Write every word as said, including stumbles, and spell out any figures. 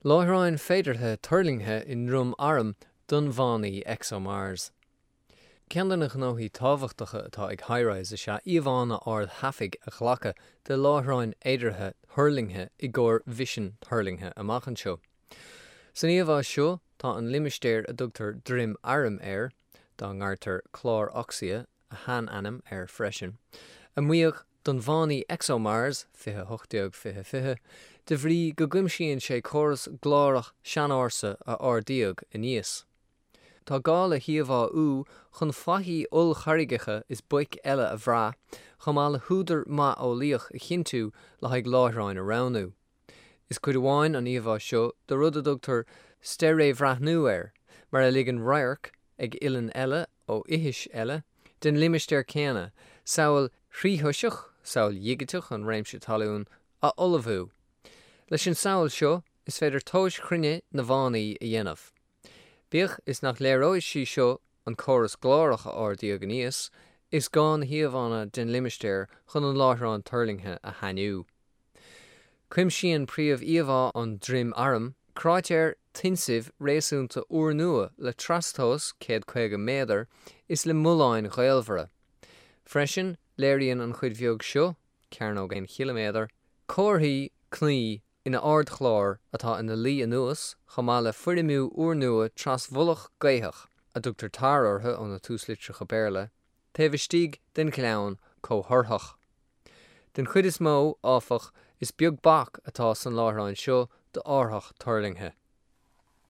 Láithreáin féideartha tuirlingthe i nDroim Airm don bhfánaí ExoMars. Ceann de na gnóthaí tábhachtacha atá ag HiRISE is ea íomhánna ardtaifigh a ghlacadh de láithreáin fhéideartha thuirlingthe i gcomhair mhisin thuirlingthe amach anseo. San íomhá seo tá an limistéar a dtugtar Droim Airm air, dá ngairtear Clár Oxia a sheanainm air freisin, a maíodh don bhfánaí ExoMars fiche a hocht déag fiche fiche, de bhrí go gcuimsíonn sé córas glárach seanársa a ardaíodh aníos. Tá gá le híomháú chun faichí ollcharraigeacha is boic eile a bhrath, chomh maith le húdar maith eolaíoch a chinntiú le haghaidh láithreáin a roghnú. Is cuid amháin an íomhá seo de rud a dtugtar steiréibhreathnú air, mar a ligeann radharc ag uillinn eile ó fhithis eile den limistéar céanna, samhail thríthoiseach, samhail dhigiteach an réimse talún, a ullmhú. Leis an samhail seo, is féidir tomhais chruinne na bhfánaí a dhéanamh. Bíodh is nach léireoidh sí seo an córas glárach a ardaíodh aníos, is gá na híomhánna den limistéar chun an láithreán tuirlingthe a shainiú. Cuimsíonn príomh-íomhá an Droim Airm cráitéar tuinsimh réasúnta úrnua le trastomhas céad caoga méadar is le mulláin ghaolmhara. Freisin, léiríonn an chuid bheag seo, cearnóg aon chiliméadar, comharthaí cnaí ina ardchlár atá ina luí anuas, chomh maith le foirmiú úrnua trasmhullach gaothach, a dtugtar tair orthu ó na túslitreacha Béarla, taobh istigh den ghleann comhthorthach. Den chuid is mó, áfach, is beag bac atá san láithreán seo d'árthach tuirlingthe.